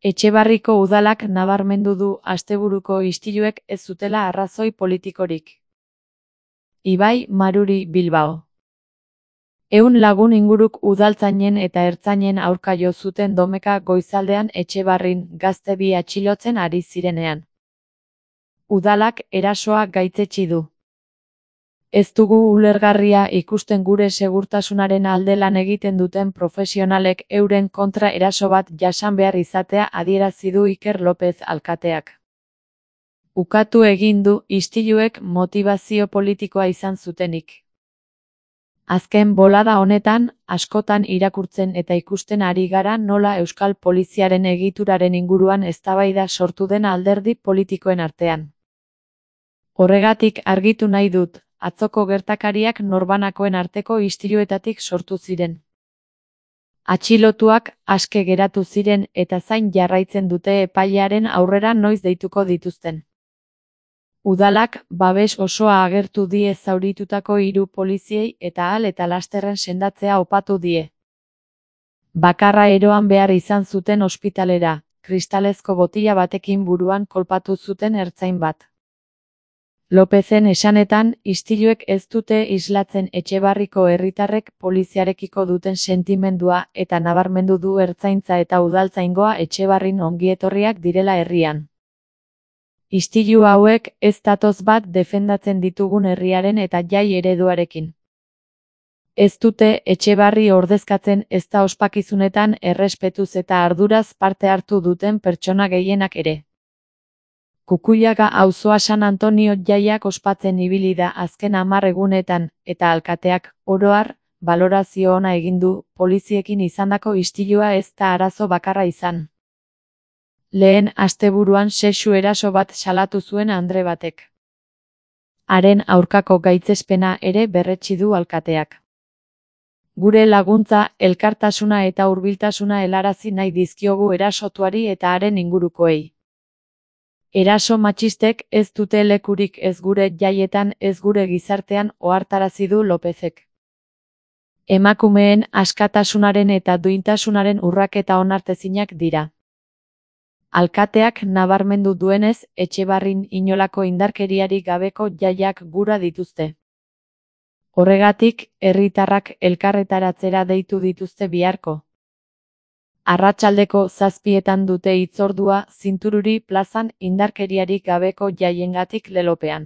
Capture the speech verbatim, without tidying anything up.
Etxebarriko udalak nabarmendu du asteburuko istiluek ez zutela arrazoi politikorik. Ibai Maruri Bilbao. Ehun lagun inguruk udaltzainen eta ertzainen aurka jo zuten domeka goizaldean Etxebarrin gazte bi atxilotzen ari zirenean. Udalak erasoa gaitzetsi du. Ez dugu ulergarria ikusten gure segurtasunaren alde lan egiten duten profesionalek euren kontra eraso bat jasan behar izatea adierazi du Iker López alkateak. Ukatu egin du istiluek motibazio politikoa izan zutenik. Azken bolada honetan, askotan irakurtzen eta ikusten ari gara nola Euskal Poliziaren egituraren inguruan eztabaida sortu den alderdi politikoen artean. Horregatik argitu nahi dut, atzoko gertakariak norbanakoen arteko istiluetatik sortu ziren. Atxilotuak aske geratu ziren eta zain jarraitzen dute epailearen aurrera noiz deituko dituzten. Udalak babes osoa agertu die zauritutako hiru poliziei eta ahal eta lasterren sendatzea opatu die. Bakarra eroan behar izan zuten ospitalera, kristalezko botila batekin buruan kolpatu zuten ertzain bat. Lopezen esanetan, istiluek ez dute islatzen Etxebarriko herritarrek poliziarekiko duten sentimendua eta nabarmendu du ertzaintza eta udaltzaingoa Etxebarrin ongietorriak direla herrian. Istilu hauek ez datoz bat defendatzen ditugun herriaren eta jai ereduarekin. Ez dute Etxebarri ordezkatzen ezta ospakizunetan errespetuz eta arduraz parte hartu duten pertsona gehienak ere. Kukuiaga auzoa San Antonio jaiak ospatzen ibili da azken hamar egunetan, eta alkateak, oro har, balorazio ona egin du, poliziekin izandako istilua ez da arazo bakarra izan. Lehen asteburuan sexu eraso bat salatu zuen andre batek. Haren aurkako gaitzespena ere berretsi du alkateak. Gure laguntza, elkartasuna eta hurbiltasuna helarazi nahi dizkiogu erasotuari eta haren ingurukoei. Eraso matxistek ez dute lekurik ez gure jaietan ez gure gizartean ohartarazi du Lopezek. Emakumeen askatasunaren eta duintasunaren urraketa onartezinak dira. Alkateak nabarmendu duenez, Etxebarrin inolako indarkeriarik gabeko jaiak gura dituzte. Horregatik, herritarrak elkarretaratzera deitu dituzte biharko. Arratsaldeko zazpietan dute hitzordua Zintururi plazan indarkeriarik gabeko jaiengatik lelopean.